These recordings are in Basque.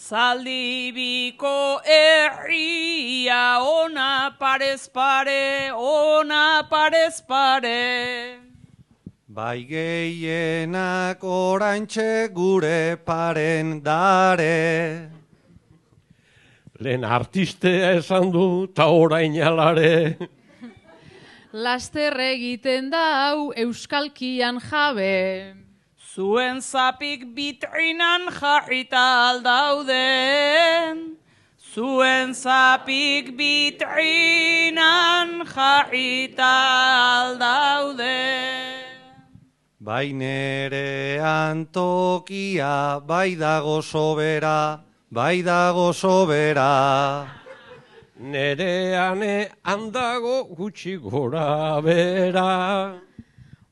Zaldibiko herria ona parez pare, ona parez pare. Bai gehienak oraintxe gure paren dare. Lehen artistea esan du ta orain alare. Laster egiten da hau euskalkian jabe. Zuen zapik bitrinan jarrita aldauden. Zuen zapik bitrinan jarrita aldauden. Bai nerean tokia, bai dago sobera, bai dago sobera. Nerean handago gutxi gora bera.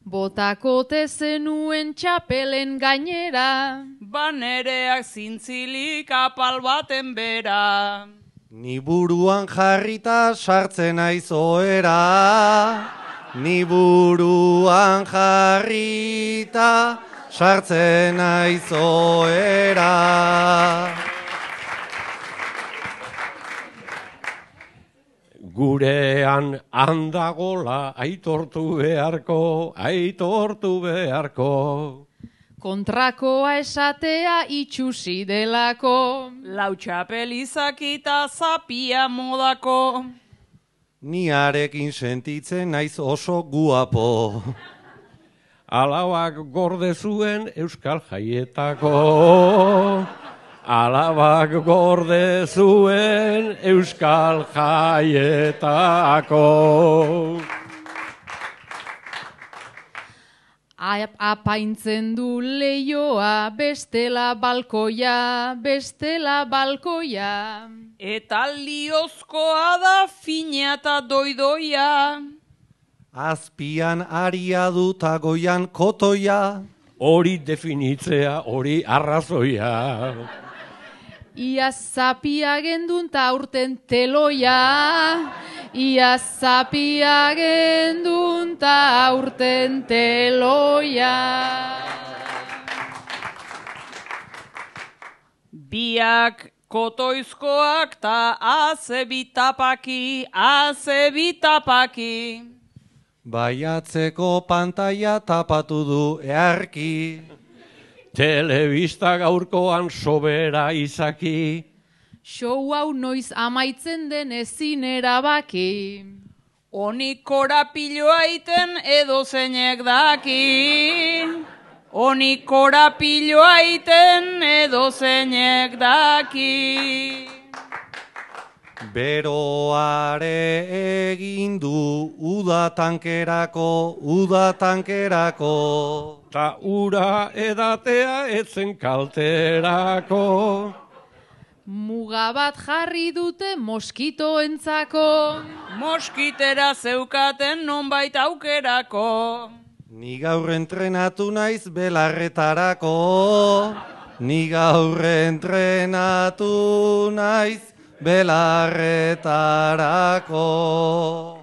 Botakote zenuen txapelen gainera. Banereak zintzilik apal baten bera. Ni buruan jarrita sartzen naiz ohera. Ni buruan jarrita sartzen naiz ohera. Gurean handagola aitortu beharko, aitortu beharko. Kontrakoa esatea itxusi delako. Lau txapel izakita zapia modako. Ni harekin sentitzen naiz oso guapo. Alabak gorde zuen euskal jaietako. Alabak gorde zuen euskal jaietako. Apaintzen du leioa, bestela balkoia, bestela balkoia. Eta liozkoa da fina eta doidoia. Azpian aria duta goian kotoia. Hori definitzea, hori arrazoia. Ia zapia gendun ta aurten teloia. Ia zapia gendun ta aurten teloia. Biak kotoizkoak ta azebitapaki, azebitapaki. Baiatzeko pantaila tapatu du earki. Telebista gaurkoan sobera izaki. Show hau noiz amaitzen den ezin erabaki. Onik korapiloa iten edo zeinek daki. Onik korapiloa iten edo zeinek daki. Beroare egin du udatankerako, udatankerako. Ta ura edatea etzen kalterako. Muga bat jarri dute moskitoentzako. Moskitera zeukaten nonbait aukerako. Ni gaur entrenatu naiz belarretarako. Ni gaur entrenatu naiz belarretarako.